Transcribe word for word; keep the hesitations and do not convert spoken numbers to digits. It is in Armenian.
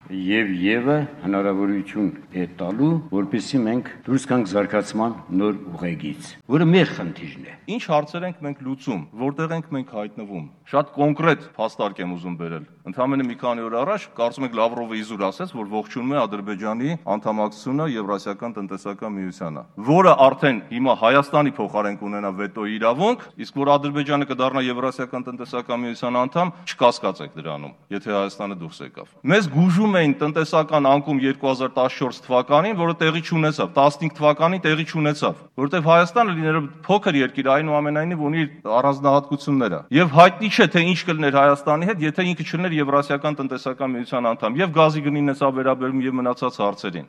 եւ Եվը հնարավորություն է տալու, որպեսզի մենք դուրս գանք զարգացման նոր ուղեգից, որը մեր խնդիրն է։ Ինչ հարցեր ենք մենք լուծում, որտեղ ենք մենք հայտնվում։ Շատ կոնկրետ փաստարկ եմ ուզում բերել։ Ընդհանրապես մի քանի օր առաջ կարծում եք Լավրովը իզուր ասեց, որ ողջունում է Ադրբեջանի անդամակցությունը Եվրասիական տնտեսական միությանը, որը արդեն հիմա Հայաստանի փոխարեն կունենա վետոյի իրավունք, իսկ որ Ադրբեջանը կդառնա Եվրասիական տնտեսական միության անդամ, չկասկածեք դրանում, եթե Հայաստանը դուրս եկավ։ Մեզ գուժում էին տնտեսական անկում երկու հազար տասնչորս թվականին, որը տեղի չունեցավ, տասնհինգ թվականին տեղի չունեցավ, որովհետև Հայաստանը լինելով փոքր երկիր, այնուամենայնիվ ունի առանձնահատկությունները։ Եվ հայտնի չէ, թե ինչ կլիներ Հայաստանի հետ, եթե ինքը չլիներ Եվրասիական տնտեսական միության անդամ, եւ գազի գնին էս վերաբերում եւ մնացած հարցերին։